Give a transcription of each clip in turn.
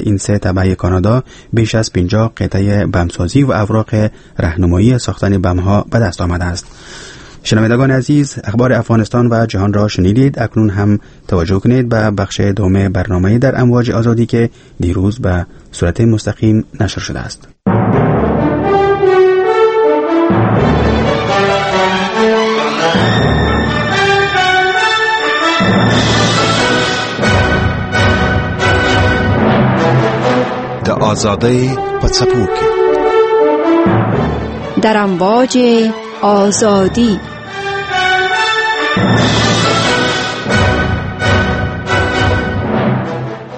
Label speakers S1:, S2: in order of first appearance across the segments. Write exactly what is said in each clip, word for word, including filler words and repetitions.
S1: این سه تبعه کانادا بیش از پنجاه قطعه بمسازی و اوراق راهنمایی ساختن بم‌ها به دست آمده است. شنوندگان عزیز، اخبار افغانستان و جهان را شنیدید. اکنون هم توجه کنید به بخش دوم برنامه در امواج آزادی که دیروز به صورت مستقیم نشر شده است.
S2: د آزادۍ په څپو کې،
S3: در امواج آزادی.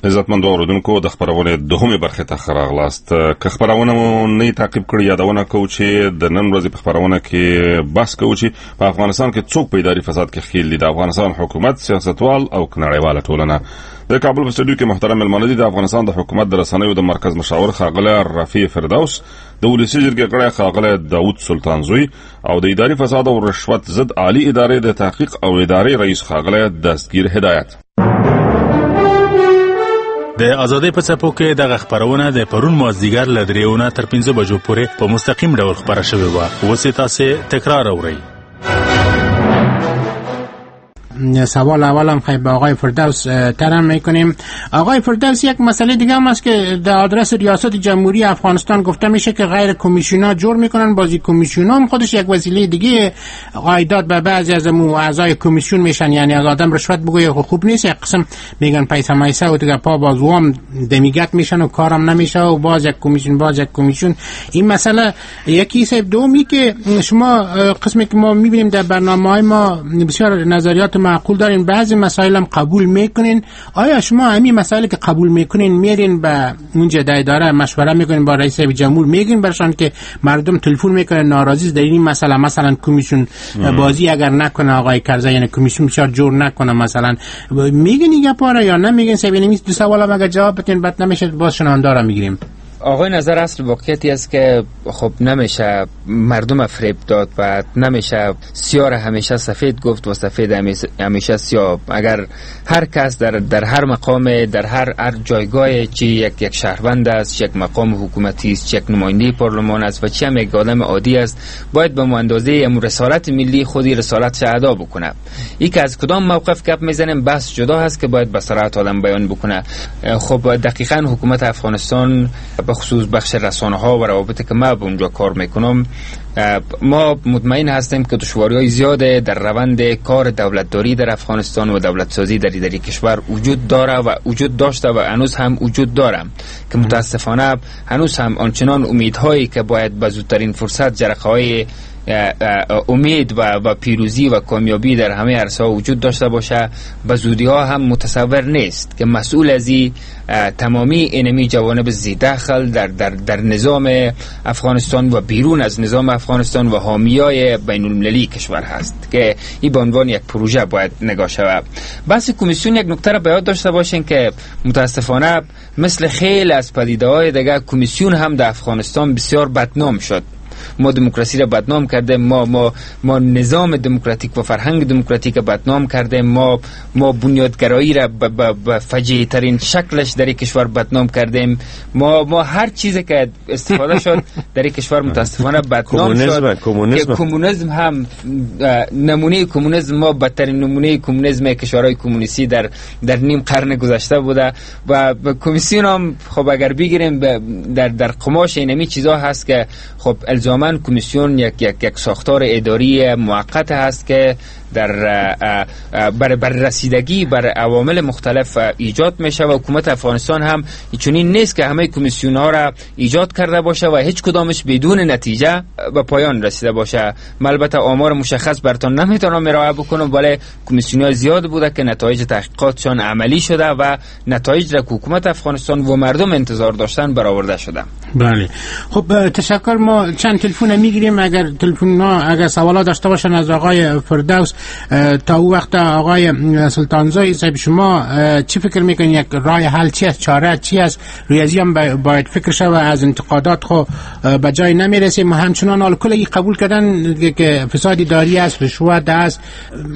S4: عزتمندو اوریدونکو، د خپرونې دوهمې برخې ته ښه راغلاست. که خپرونه مو نه تعقیب کړې، یادونه کوو چې د نن ورځې په خپرونه کې بحث کوو چې په افغانستان کې څوک په اداري فساد کې ښکېل دي، د افغانستان حکومت، سیاستوال او نړیواله ټولنه. د کابل په سټډیو کې محترم مېلمانه دي د افغانستان د حکومت د رسنیو د مرکز مشاور ښاغلی رفیع فردوس، د ولسي جرګې غړی ښاغلی داود سلطانزوی او د اداري فساد او رشوت ضد عالي ادارې د تحقیق او ادارې رئیس ښاغلی دستګیر هدایت.
S5: د ازادۍ په څپو کې دغه خپرونه د پرون مازدیګر له دریو نه تر پنځه بجو پورې په مستقیم ډول خپره شوې وه. اوس یې تاسې تکرار اورئ.
S6: سوال اولم خیلی به آقای فردوس طرح میکنیم. آقای فردوس، یک مسئله دیگه هم است که در آدرس ریاست جمهوری افغانستان گفته میشه که غیر کمیسیونا جور میکنن. بازی کمیسیونا هم خودش یک وسیله دیگه عایدات به بعضی از اعضای کمیسیون میشن، یعنی از آدم رشوت بگوی خوب نیست، یک قسم میگن پیسه میسه و دیگه پا بازوام دمیگت میشن و کارم نمیشه و باز یک کمیسیون باز یک کمیسیون. این مسئله یکی سه. دومی که شما قسمی که ما میبینیم در برنامه‌های ما بسیار نظریات معقول دارین، بعضی مسائل هم قبول میکنین. آیا شما همین مسائلی که قبول میکنین میرین به اونجا در اداره مشوره میکنین با رئیس جمهور، میگین برشان که مردم تلفن میکنن ناراضی در این مسئله، مثلا کمیسیون بازی اگر نکنه آقای کرزی، یعنی کمیسیون بسیار جور نکنه مثلا، میگین این گپا یا نمیگین؟ سبینیم دو سوالم اگر جواب بدین بعد نمیشه باز شنونده میگیریم.
S7: آقای نظر، اصل واقعیتی است که خب نمیشه مردم فریب داد و نمیشه سیاه را همیشه سفید گفت و سفید همیشه سیاه. اگر هر کس در در هر مقام، در هر هر جایگاه، چی یک یک شهروند است، یک مقام حکومتی است، یک نماینده پارلمان است و چی هم یک آدم عادی است، باید به اندازه امر رسالت ملی خودی رسالتش ادا بکنه. ای که از کدام موقف گپ میزنیم بحث جدا هست که باید به صراحت آدم بیان بکنه. خب دقیقاً حکومت افغانستان به خصوص بخش رسانه ها و روابطی که ما به اونجا کار میکنم، ما مطمئن هستیم که دشواری های زیاد در روند کار دولتداری در افغانستان و دولت سازی در در کشور وجود داره و وجود داشته و هنوز هم وجود داره که متاسفانه هنوز هم آنچنان امیدهایی که باید به زودترین فرصت جرقه های امید و و پیروزی و کامیابی در همه عرصه ها وجود داشته باشه، به زودی ها هم متصور نیست که مسئول از این تمامی اینمی جوانب ذی‌دخل در در در نظام افغانستان و بیرون از نظام افغانستان و حامیای بین المللی کشور هست که این به عنوان یک پروژه باید نگاه شود. بحث کمیسیون یک نکته را به یاد داشته باشین که متاسفانه مثل خیلی از پدیده‌های دیگه کمیسیون هم در افغانستان بسیار بدنام شد. ما دموکراسی را بدنام کرده، ما ما ما نظام دموکراتیک و فرهنگ دموکراتیک را بدنام کرده، ما ما بنیادگرایی را به فجیع ترین شکلش در کشور بدنام کردیم، ما ما هر چیزی که استفاده شد در کشور متاسفانه بدنام شد.
S8: کمونیسم
S7: کمونیسم هم نمونه کمونیسم، ما بدترین نمونه کمونیسم کشورهای کمونیستی در در نیم قرن گذشته بوده و کمیسیون هم خب اگر بگیریم در در قماش اینمی چیزا هست که خب الزاماً کمیسیون یک یک یک ساختار اداری موقت هست که در بر بر رسیدگی بر عوامل مختلف ایجاد میشه و حکومت افغانستان هم چنین نیست که همه کمیسیون ها را ایجاد کرده باشه و هیچ کدامش بدون نتیجه به پایان رسیده باشه. من البته آمار مشخص براتون نمیتونم ارائه بکنم، ولی کمیسیون ها زیاد بوده که نتایج تحقیقاتشان عملی شده و نتایج را که حکومت افغانستان و مردم انتظار داشتن برآورده شده.
S6: بله خب تشکر. ما چند تلفن میگیریم، اگر تلفن ها اگر سوالا داشته باشن از آقای فردوس. تا او وقت آقای سلطانزایی صاحب، شما چی فکر میکنید یک راه حل چی است، چاره چی است؟ ریاضی هم باید فکر شود، از انتقادات خو به جای نمیرسیم. همچنان حال کلی قبول کردن که فساد اداری است، رشوت است.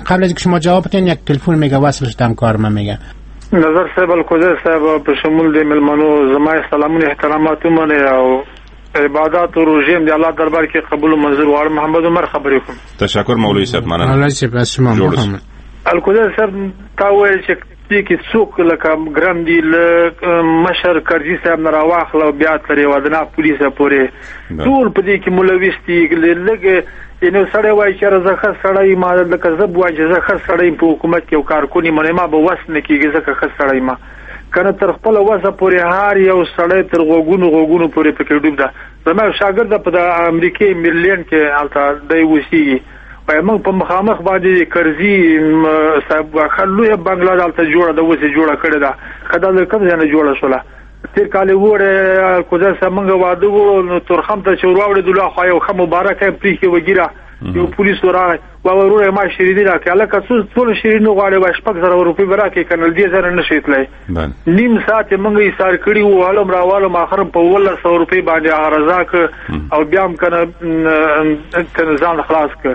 S6: قبل از اینکه شما جواب بدین یک تلفن میگه وصل شدم کار من میگه.
S8: نظر صاحب، الکوزی صاحب په شمول د ملمنو زما سلامونه احترامات ومنئ او عبادات او روژې هم د الله دربار کې قبول او منظور غواړم. محمد عمر خبرې کوم.
S4: تشکر مولوي صاحب، مننه.
S6: مولوي صاحب از شما
S4: جوړ.
S8: الکوزی صاحب، تا ویل چې دې کې څوک لکه ګرم دي، له مشر کرزي صاحب نه راواخله او بیا تر یو ادنا پولیسه پورې ټول په دې کې ملوث دي. لږ یعنې سړی وایي چې زه ښه سړی یم، لکه زه به وایم چې زه ښه سړی یم، په حکومت کې یو کارکون یم، ما به وس نه کېږي ځکه ښه سړی یم. که نه تر خپله وسه پورې هر یو سړی تر غوږونو غوږونو پورې پکې ډوب ده. زما یو شاګرد په د امریکې میرلینډ کې هلته دی اوسېږي، وایي موږ په مخامخ باندې کرزي صاحب ښه لویه بنګله دلته جوړه ده، اوس یې جوړه کړې ده، ښه دا له کوم ځای نه جوړه شوله؟ تېر کال یې وړی کوزه صاحب موږ واده وړو، نو تورخم ته چې ورواوړېدلو هاخوا یو ښه مبارکه یې پرېښې وه ږیره، یو پولیس ورغی، وایي وروره ما شیریني راکړې. هلکه څو څونه شیریني غواړې؟ وایي شپږ زره روپۍ به راکړې، که نه له دې ځای نه شې تللی. نیم ساعت یې موږ ایسار کړي وو، هلم راوالم، اخر په اوولس سوه روپۍ باندې هغه رضا کړ او بیا هم که نه ځان خلاص کړ.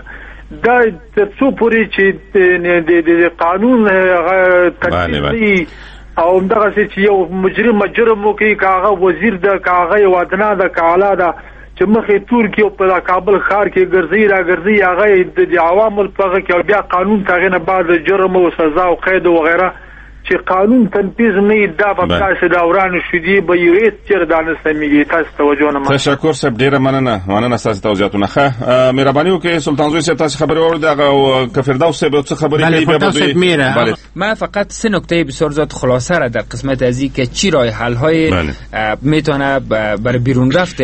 S8: دا تر څو پورې چې د قانون هغه تطبیق نه او همدغسې چې یو مجرم جرم وکړي، که هغه وزیر ده، که هغه یو ادنا ده، که اعلی ده، چې مخې تور کې او په کابل ښار کې ګرځي را ګرځي، هغه د عوامو په هغه کې او بیا قانون ته هغې نه بعد جرم او سزا او قید او وغیره چې قانون تنفیذ نه دا به تاسو دا وران شو دی به یو هیڅ چیر دا نه سمېږي. تاسو توجه نه مننه.
S4: تشکر صاحب، ډیره مننه، مننه ستاسو توضیحاتونه. ښه مهرباني وکړئ سلطان زوی صاحب، تاسو خبرې واورئ، دغه که فردوس صاحب څه خبرې کوي بیا به دوی.
S7: بله. من فقط سه نکته بسیار زیاد خلاصه را در قسمت ازی که چی راه حل های میتونه برای بیرون رفت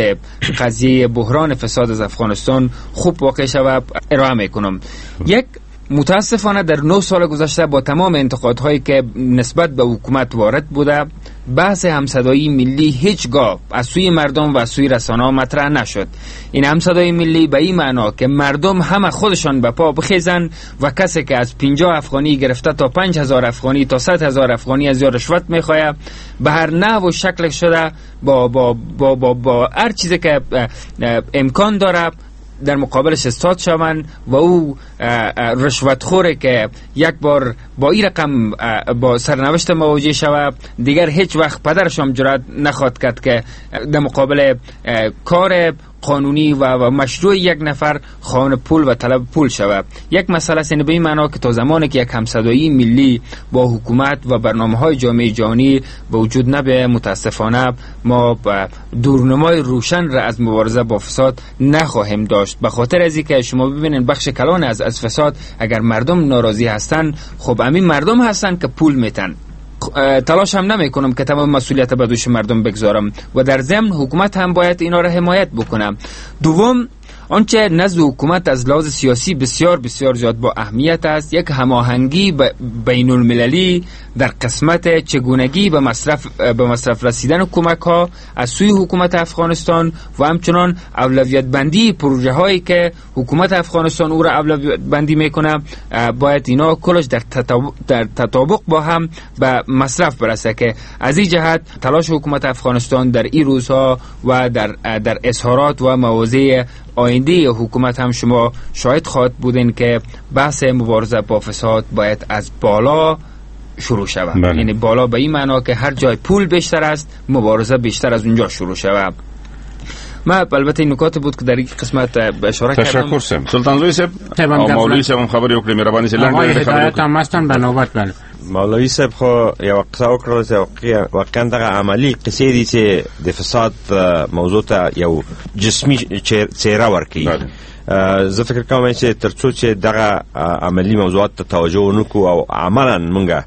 S7: قضیه بحران فساد از افغانستان خوب واقع شود ارائه میکنم. یک، متاسفانه در نه سال گذشته با تمام انتقادهایی که نسبت به حکومت وارد بوده، بحث همصدایی ملی هیچگاه از سوی مردم و از سوی رسانه‌ها مطرح نشد. این همصدایی ملی به این معنا که مردم همه خودشان به پا بخیزن و کسی که از پنجاه افغانی گرفته تا پنج هزار افغانی تا صد هزار افغانی از یا رشوت میخواه، به هر نحو و شکل شده با با با با, با هر چیزی که امکان داره در مقابلش استاد شوند و او رشوتخوره که یک بار با این رقم با سرنوشت مواجه شود، دیگر هیچ وقت پدرش هم جرأت نخواد کرد که در مقابل کار قانونی و مشروع یک نفر خواهان پول و طلب پول شود. یک مسئله است، به این معنا که تا زمانی که یک همصدایی ملی با حکومت و برنامه‌های جامعه جهانی به وجود نبیاید، متاسفانه ما دورنمای روشن را از مبارزه با فساد نخواهیم داشت. به خاطر از اینکه شما ببینید بخش کلان از از فساد اگر مردم ناراضی هستند، خب همین مردم هستند که پول میتن. تلاش هم نمی کنم که تمام مسئولیت به دوش مردم بگذارم و در ضمن حکومت هم باید اینا را حمایت بکنم. دوم، آنچه نزد حکومت از لحاظ سیاسی بسیار بسیار زیاد با اهمیت است، یک هماهنگی بین المللی در قسمت چگونگی به مصرف به مصرف رسیدن کمک ها از سوی حکومت افغانستان و همچنان اولویت بندی پروژه هایی که حکومت افغانستان او را اولویت بندی میکنه، باید اینا کلش در تطابق, در تطابق با هم به مصرف برسه که از این جهت تلاش حکومت افغانستان در این روزها و در در اظهارات و مواضع آینده حکومت هم شما شاهد خواهد بودین که بحث مبارزه با فساد باید از بالا شروع شود. بله. یعنی بالا به این معنا که هر جای پول بیشتر است، مبارزه بیشتر از اونجا شروع شود. ما البته این نکات بود که در این قسمت اشاره کردم.
S4: تشکر سم سلطان زوی صاحب او مولوی صاحب هم خبرې وکړې، مهرباني سي لنډه
S6: خبرې وکړې. هدایت هم به نوبت. بله
S9: مولوی صاحب خو یو قصه وکړه چې واقعا دغه عملی قصې دي چې د فساد موضوع ته یو جسمي څېره ورکوي. زه فکر کوم چې تر څو چې دغه عملی موضوعات ته توجه ونکو او عملا مونږه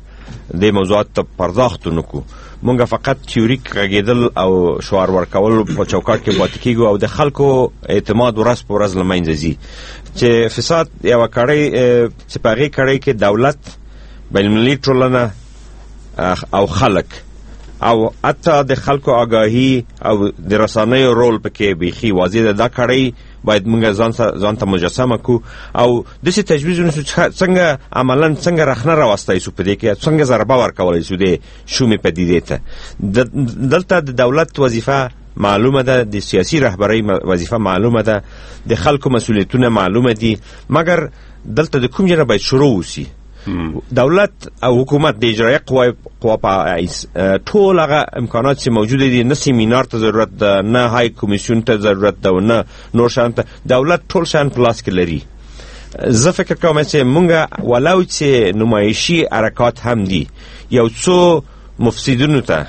S9: دې موضوعات ته پرداخت ونکو، مونږ فقط تیوریک غږېدل او شعار ورکول په چوکاټ کې پاتې کېږو او د خلکو اعتماد ورځ په ورځ له منځه ځي. چې فساد یوه کړۍ چې په هغې کړۍ کې دولت، بین المللي ټولنه او خلک او حتی د خلکو آگاهي او د رسنیو رول پکې بیخي واضح ده. دا کړۍ باید مونږ ځان ځان ته مجسمه کو او داسې تجویز ونیسو چې څنګه عملا څنګه رخنه راوستی سو په دې کې، څنګه ضربه ورکولی سو دې شومې پدیدې ته. دلته د دولت وظیفه معلومه ده، د سیاسي رهبرۍ وظیفه معلومه ده، د خلکو مسؤلیتونه معلومه دي، مګر دلته د کوم ځای نه باید شروع وسي. دولت او حکومت د اجرایه قوا قوا په ټول هغه امکانات چې موجود دي، نه سیمینار ته ضرورت ده، نه های کمیسیون ته ضرورت ده، نه نور شیان ته. دولت ټول شیان په لاس کې لري. زه فکر کوم چې مونږ ولو چې نمایشي حرکات هم دي، یو څو مفسدینو ته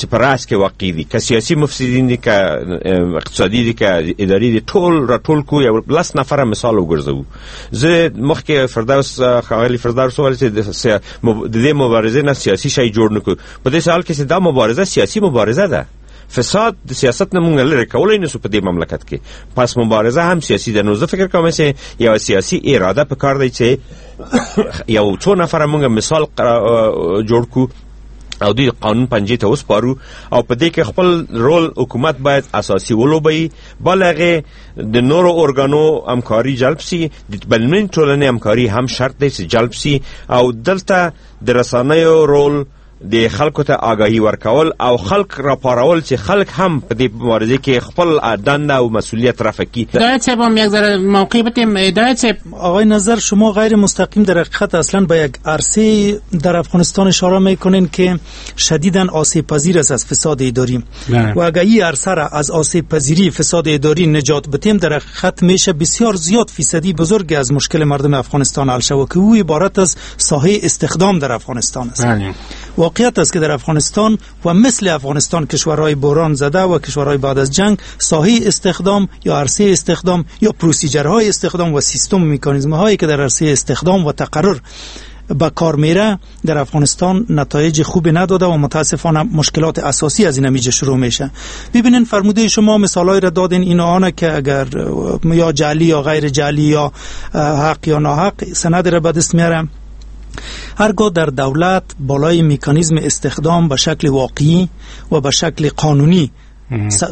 S9: چې په رأس کې واقع دي، که سیاسي مفسدین دي، که اقتصادي دي، که اداري دي، ټول راټول کو، یو لس نفره مثال وګرځوو. زه مخکې فردوس ښاغلي فردوس وویل چې د دې مبارزې نه سیاسي شی جوړ نه کړو. په داسې حال کې چې دا مبارزه سیاسي مبارزه ده، فساد د سیاست نه مونږ لرې کولی نسو په دې مملکت کې، پس مبارزه هم سیاسي ده. نو زه فکر کوم چې یوه سیاسي اراده په کار دی چې یو څو نفره مونږ مثال جوړ کړو او دوی قانون پنجې ته وسپارو، او په دې کې خپل رول حکومت باید اساسي ولوبوي. بل هغې د نورو ارګانو همکاري جلب سي، د بینالمللي ټولنې همکاري هم شرط دی چې جلب سي، او دلته د رسنیو رول د خلکو ته آگاهي ورکول او خلک راپارول چې خلک هم په دې مبارزه کې خپل دنده او مسئولیت رفع کړي.
S6: هدایت صاحب هم یک ذره موقع بدیم. هدایت صاحب،
S10: آقای نظر، شما غیر مستقیم در حقیقت اصلا به یک عرصه در افغانستان اشاره میکنین که شدیداً آسیب پذیر است از فساد اداری، و اگر این عرصه را از آسیب پذیری فساد اداری نجات بدیم، در حقیقت میشه بسیار زیاد فیصدی بزرگی از مشکل مردم افغانستان حل شود که او عبارت از ساحه استخدام در افغانستان است.
S6: بله.
S10: واقعیت است که در افغانستان و مثل افغانستان کشورهای بحران زده و کشورهای بعد از جنگ، ساحه استخدام یا عرصه استخدام یا پروسیجرهای استخدام و سیستم مکانیزم هایی که در عرصه استخدام و تقرر به کار میره در افغانستان نتایج خوب نداده و متاسفانه مشکلات اساسی از این میجه شروع میشه. ببینین، فرموده شما مثالای را دادین، این آنه که اگر یا جعلی یا غیر جعلی یا حق یا ناحق سند را به دست میاره، هرگاه در دولت بالای مکانیزم استخدام به شکل واقعی و به شکل قانونی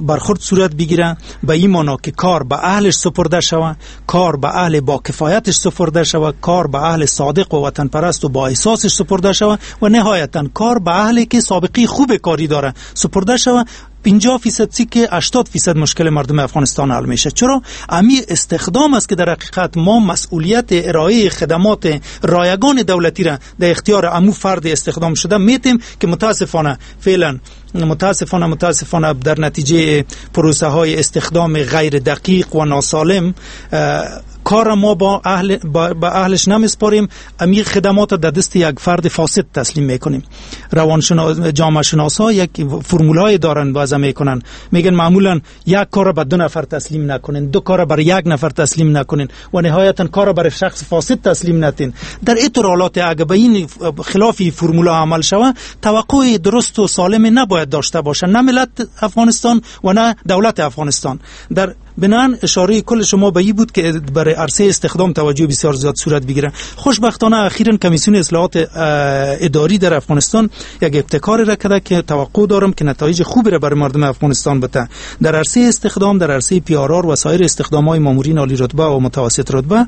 S10: برخورد صورت بگیره، به این معنا که کار به اهلش سپرده شوه، کار به اهل با کفایتش سپرده شوه، کار به اهل صادق و وطن پرست و با احساسش سپرده شوه، و نهایتا کار به اهلی که سابقه خوب کاری داره سپرده شوه، پنجاه فیصد سی که هشتاد فیصد مشکل مردم افغانستان حل میشه. چرا؟ امی استخدام است که در حقیقت ما مسئولیت ارائه خدمات رایگان دولتی را در اختیار امو فرد استخدام شده میتیم که متاسفانه فعلا متاسفانه متاسفانه در نتیجه پروسه های استخدام غیر دقیق و ناسالم کار ما با اهل با, با اهلش نمیسپاریم، امی خدمات در دست یک فرد فاسد تسلیم میکنیم. روانشناس، جامعه شناسا یک فرمولای دارن وضع میکنن، میگن معمولا یک کار به دو نفر تسلیم نکنین، دو کار بر یک نفر تسلیم نکنین و نهایتا کار بر شخص فاسد تسلیم نتین. در اینطور حالات اگه به این خلافی فرمولا عمل شوه، توقع درست و سالم نباید داشته باشه، نه ملت افغانستان و نه دولت افغانستان. در بنان اشاره کل شما به این بود که برای عرصه استخدام توجه بسیار زیاد صورت بگیره. خوشبختانه اخیراً کمیسیون اصلاحات اداری در افغانستان یک ابتکار را کرده که توقع دارم که نتایج خوبی را برای مردم افغانستان بده. در عرصه استخدام، در عرصه پی آر آر و سایر استخدام‌های مامورین عالی رتبه و متوسط رتبه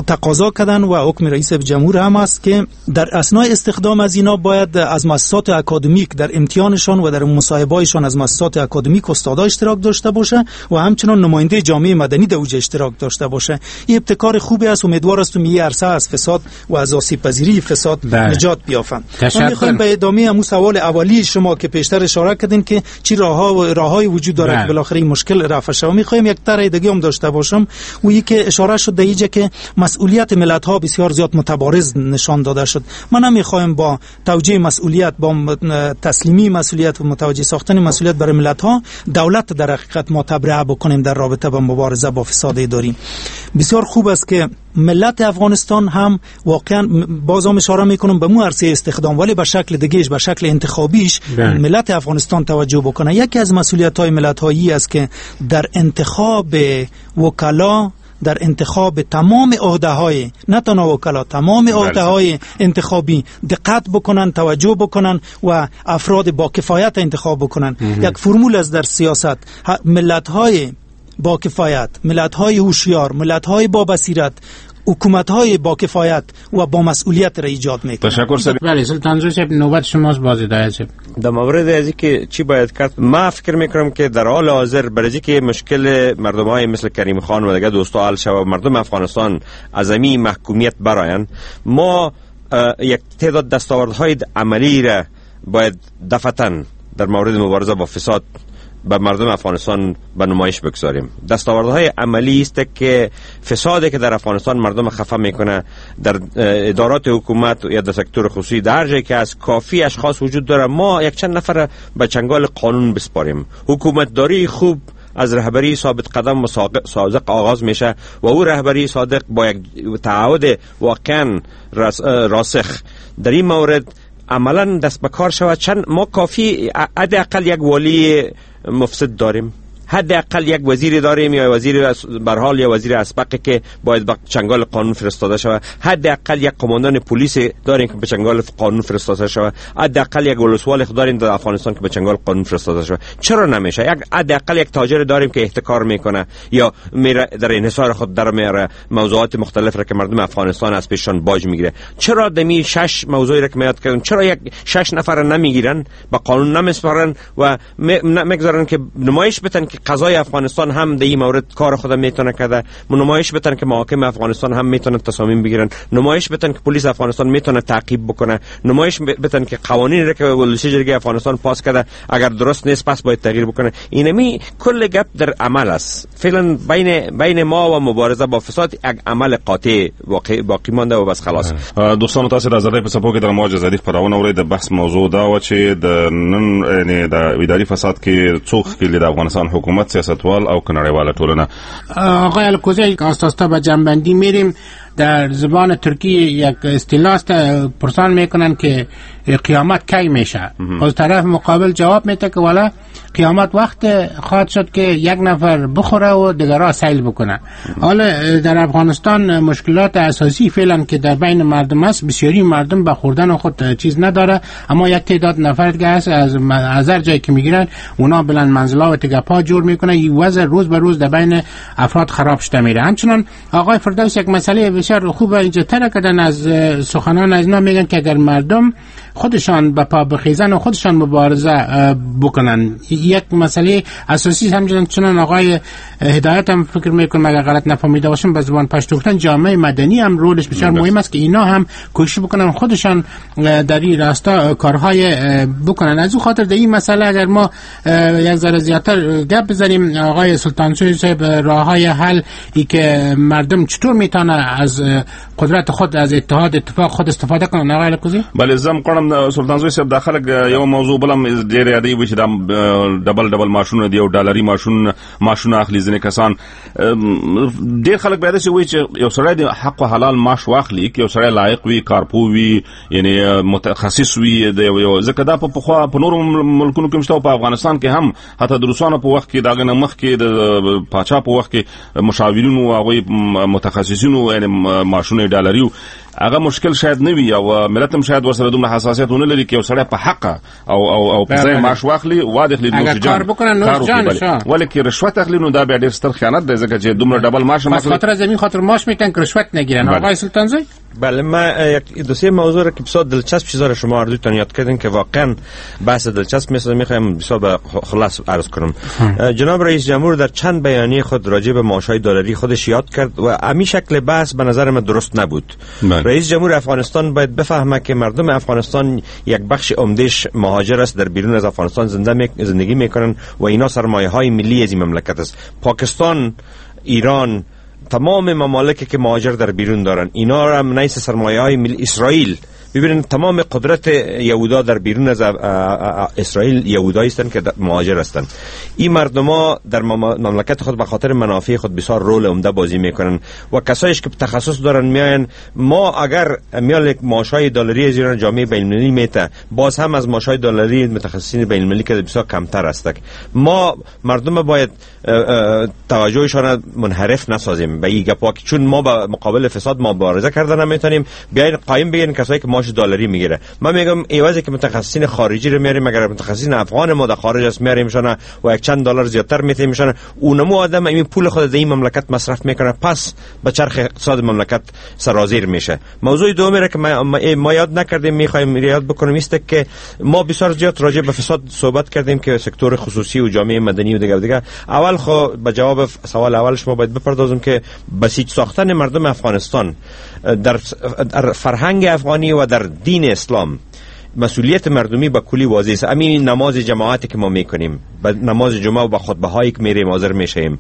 S10: تقاضا کردن و حکم رئیس جمهور هم است که در اثناء استخدام از اینا باید از مؤسسات اکادمیک در امتحانشان و در مصاحبه‌هایشان از مؤسسات اکادمیک استادا اشتراک داشته باشه و همچنان نماینده جامعه مدنی در اوج اشتراک داشته باشه. این ابتکار خوبی است، امیدوار هستم این عرصه از فساد و از آسیب پذیری فساد بله. نجات بیافند. ما می‌خوایم به ادامه همون سوال اولی شما که پیشتر اشاره کردین که چی راه‌ها و راه‌های وجود داره که بالاخره این مشکل رفع شود، می‌خوایم یک طرح دیگه هم داشته باشم و یکی اشاره شد در اینجا که مسئولیت ملت‌ها بسیار زیاد متبارز نشان داده شد. ما نمی‌خوایم با توجیه مسئولیت، با تسلیمی مسئولیت و متوجه ساختن مسئولیت برای ملت‌ها دولت در حقیقت ما تبرئه بکنیم در رابطه با مبارزه با فساد اداری. بسیار خوب است که ملت افغانستان هم واقعا باز هم اشاره میکنم به مو عرصه استخدام، ولی به شکل دیگهش، به شکل انتخابیش بله. ملت افغانستان توجه بکنه. یکی از مسئولیت های ملت هایی است که در انتخاب وکلا، در انتخاب تمام عهده‌های، نه تنها وکلا، تمام عهده‌های انتخابی دقت بکنن، توجه بکنن و افراد با کفایت انتخاب بکنن. یک فرمول است در سیاست، ملت‌های با کفایت، ملت‌های هوشیار، ملت‌های با بصیرت حکومت های با کفایت و با مسئولیت را ایجاد میکنه.
S4: تشکر صاحب.
S6: بله سلطان صاحب نوبت شماست باز هدایت صاحب.
S9: در مورد از اینکه چی باید کرد، ما فکر میکنم که در حال حاضر برای که مشکل مردم های مثل کریم خان و دیگه دوستا حل شود و مردم افغانستان از این محکومیت براین، ما یک تعداد دستاوردهای عملی را باید دفعتاً در مورد مبارزه با فساد به مردم افغانستان به نمایش بگذاریم. دستاوردهای عملی است که فسادی که در افغانستان مردم خفه میکنه در ادارات حکومت یا در سکتور خصوصی در جایی که از کافی اشخاص وجود داره، ما یک چند نفر به چنگال قانون بسپاریم. حکومتداری خوب از رهبری ثابت قدم و صادق آغاز میشه و او رهبری صادق با یک تعهد واقعا راسخ در این مورد عملا دست به کار شود. چند ما کافی حداقل یک والی مفسد داریم، حداقل یک وزیر داریم یا وزیر برحال یا وزیر اسبق که باید به چنگال قانون فرستاده شود، حداقل یک قماندان پلیس داریم که به چنگال قانون فرستاده شود، حداقل یک ولسوال داریم در افغانستان که به چنگال قانون فرستاده شود. چرا نمیشه؟ یک حداقل یک تاجر داریم که احتکار میکنه یا میره در انحصار خود در میاره موضوعات مختلف را که مردم افغانستان از پیششان باج میگیره. چرا دمی شش موضوعی را که میاد کردن چرا یک شش نفر نمیگیرن، به قانون نمیسپارن و میگذارن که نمایش بدن که قضای افغانستان هم در این مورد کار خود میتونه کرده، نمایش بدن که محاکم افغانستان هم میتونه تصامیم بگیرن، نمایش بدن که پلیس افغانستان میتونه تعقیب بکنه، نمایش بدن که قوانین را که ولسی جرگه افغانستان پاس کرده اگر درست نیست پس باید تغییر بکنه. اینمی کل گپ در عمل است. فعلا بین بین ما و مبارزه با فساد یک عمل قاطع واقع باقی مانده و بس خلاص.
S4: دوستانو تاسو د ازادۍ په څپو کې د موج ازادي خپرونه اورئ. د بحث موضوع دا و چې د نن یعنی د اداري فساد کې څوک ښکېل د افغانستان حکومت، سیاستوال او نړیواله ټولنه.
S6: آقای الکوزی آستا به جنبندی میریم. در زبان ترکی یک اصطلاح است، پرسان میکنن که قیامت کی میشه. از طرف مقابل جواب میده که والا قیامت وقت خواهد شد که یک نفر بخوره و دیگرها سیل بکنه. حالا در افغانستان مشکلات اساسی فعلا که در بین مردم است، بسیاری مردم به خوردن خود چیز نداره، اما یک تعداد نفر دیگه هست از از هر جایی که میگیرن اونا بلند منزلا و تگپا جور میکنه. این وضع روز به روز در بین افراد خراب شده میره. همچنان آقای فردوس یک مسئله بسیار خوب اینجا تر کردن از سخنان از اینا، میگن که اگر مردم خودشان به پا بخیزن و خودشان مبارزه بکنن، یک مسئله اساسی همچنان چنان آقای هدایت هم فکر میکنم اگر غلط نفهمیده باشم به زبان پشتو گفتن جامعه مدنی هم رولش بسیار مهم است که اینا هم کوشش بکنن خودشان در این راستا کارهای بکنن. از او خاطر در این مسئله اگر ما یک ذره زیادتر گپ بزنیم، آقای سلطانزوی صاحب راههای حل ای که مردم چطور میتونه از قدرت خود از اتحاد اتفاق خود استفاده کنن. آقای الکوزی
S4: بله زم قرم سلطانزوی صاحب دا خلک یو موضوع بلم ډېر یادوي چې دا ډبل ډبل ماشونه دی او ډالري ماشون ماشونه اخلي ځینې کسان. ډېر خلک بیا داسې وایي چې یو سړی د حق و حلال معاش واخلي، که یو سړی لایق وي، کارپوه وي، یعنی متخصص وي، د یو ځکه دا په پخوا په نورو ملکونو کې هم شته او په افغانستان کې هم، حتی د روسانو په وخت کې د هغې نه مخکې د پاچا په وخت کې مشاورینو هغوی متخصصینو یعنی معاشونه ډالري وو. هغه مشکل شاید نه وي او ملت هم شاید ورسره دومره حساسیت ونه لري که یو سړی په حقه او او او په ځای معاش واخلي وادخلي نوش جان
S6: کار بکنن نوش جان شا.
S4: ولی که رشوت اخلي نو دا بیا ډېر ستر خیانت دی، ځکه چې دومره ډبل معاش هم اخلي.
S6: خاطر از همین خاطر معاش میتن که رشوت نگیرن. آقای سلطانزوی
S9: بله ما یک دو سه موضوع را که بسیار دلچسب چیزا را شما هر دوتان یاد کردین که واقعا بحث دلچسب میسازه، میخوایم بسیار به خلاص عرض کنم. جناب رئیس جمهور در چند بیانیه خود راجع به معاش‌های دلاری خودش یاد کرد و امی شکل بحث به نظر من درست نبود. بله. رئیس جمهور افغانستان باید بفهمه که مردم افغانستان یک بخش عمدهش مهاجر است، در بیرون از افغانستان زنده می... زندگی میکنن و اینا سرمایه های ملی از این مملکت است. پاکستان، ایران، تمام ممالکی که مهاجر در بیرون دارن اینا را هم نیست سرمایه های ملی. اسرائیل ببینید تمام قدرت یهودا در بیرون از اسرائیل یهودایی هستند که مهاجر هستند. این مردما در مملکت خود به خاطر منافع خود بسیار رول عمده بازی میکنن و کسایش که تخصص دارن میاین. ما اگر میال یک معاشای دلاری از ایران جامعه بین المللی میته، باز هم از معاشای دلاری متخصصین بین المللی که بسیار کمتر است. ما مردم باید توجهشان منحرف نسازیم به این گپا، چون ما به مقابل فساد مبارزه کردن نمیتونیم. بیاین قایم بگین کسایی که معاش معاش دلاری میگیره. من میگم ایوازی که متخصصین خارجی رو میاریم، اگر متخصصین افغان ما در خارج است میاریمشون و یک چند دلار زیادتر میتیمشون، اونمو آدم این پول خود در این مملکت مصرف میکنه، پس به چرخ اقتصاد مملکت سرازیر میشه. موضوع دومی را که ما, ما یاد نکردیم میخوایم یاد بکنیم است که ما بسیار زیاد راجع به فساد صحبت کردیم که سکتور خصوصی و جامعه مدنی و دیگه دیگه. اول خو به جواب سوال اول شما باید بپردازم که بسیج ساختن مردم افغانستان در فرهنگ افغانی و در دین اسلام مسئولیت مردمی با کلی واضح است. همین نماز جماعتی که ما میکنیم، نماز جمعه و با خطبه هایی که میریم حاضر میشیم،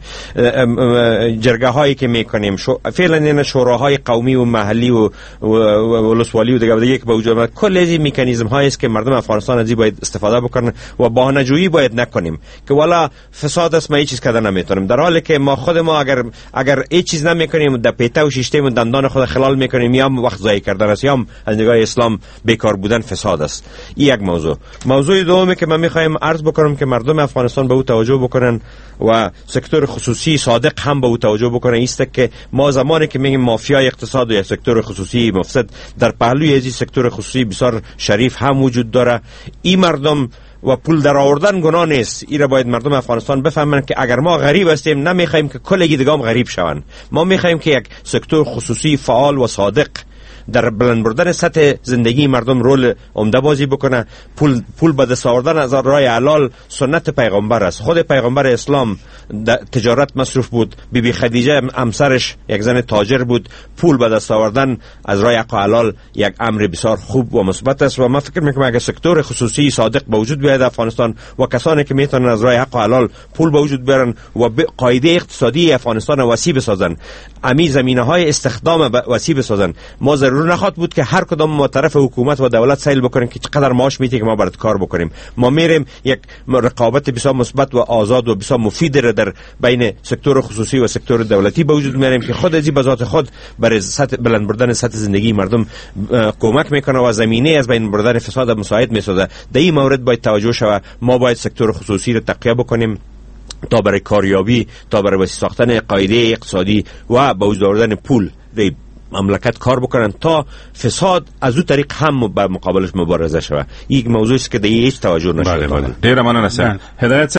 S9: جرگه هایی که میکنیم، شو... فعلا این شوراهای قومی و محلی و ولسوالی و دیگه دیگه که به وجود آمد، کل از این مکانیزم هایی است که مردم افغانستان از این باید استفاده بکنن و بهانه‌جویی باید نکنیم که والا فساد است ما هیچ چیز کردن نمیتونیم، در حالی که ما خود ما اگر اگر هیچ چیز نمیکنیم در پیته و شیشته و دندان خود خلال میکنیم، یا وقت ضایع کردن است یا از نگاه اسلام بیکار بودن فساد است. این یک موضوع. موضوع دومی که من میخوایم عرض بکنم که مردم افغانستان به او توجه بکنن و سکتور خصوصی صادق هم به او توجه بکنن ایست که ما زمانی که میگیم مافیای اقتصاد و یا سکتور خصوصی مفسد، در پهلوی از این سکتور خصوصی بسیار شریف هم وجود داره. این مردم و پول در آوردن گناه نیست. این را باید مردم افغانستان بفهمن که اگر ما غریب هستیم نمیخوایم که کلگی دیگه هم غریب شوند. ما میخوایم که یک سکتور خصوصی فعال و صادق در بلند بردن سطح زندگی مردم رول عمده بازی بکنه. پول پول به دست آوردن از راه حلال سنت پیغمبر است. خود پیغمبر اسلام تجارت مصروف بود، بی بی خدیجه همسرش یک زن تاجر بود. پول به دست آوردن از راه حق و حلال یک امر بسیار خوب و مثبت است و من فکر میکنم اگر سکتور خصوصی صادق به وجود بیاید افغانستان و کسانی که میتونن از راه حق و حلال پول به وجود بیارن و قاعده اقتصادی افغانستان وسیع بسازن، امی زمینه های استخدام وسیع بسازن، ما ضرور نخواد بود که هر کدام ما طرف حکومت و دولت سیل بکنیم که چقدر معاش میته که ما برات کار بکنیم. ما میریم یک رقابت بسیار مثبت و آزاد و بسیار مفید را در بین سکتور خصوصی و سکتور دولتی به وجود میاریم که خود از این بذات خود برای سطح بلند بردن سطح زندگی مردم کمک میکنه و زمینه از بین بردن فساد مساعد میسازه. در این مورد باید توجه شود. ما باید سکتور خصوصی را تقویه بکنیم تا برای کاریابی، تا برای وسیع ساختن قاعده اقتصادی و به وجود آوردن پول در مملکت کار بکنن تا فساد از او طریق هم به مقابلش مبارزه شود. یک موضوعی است که در هیچ توجه نشده.
S4: بله بله. ډیره مننه صاحب. هدایت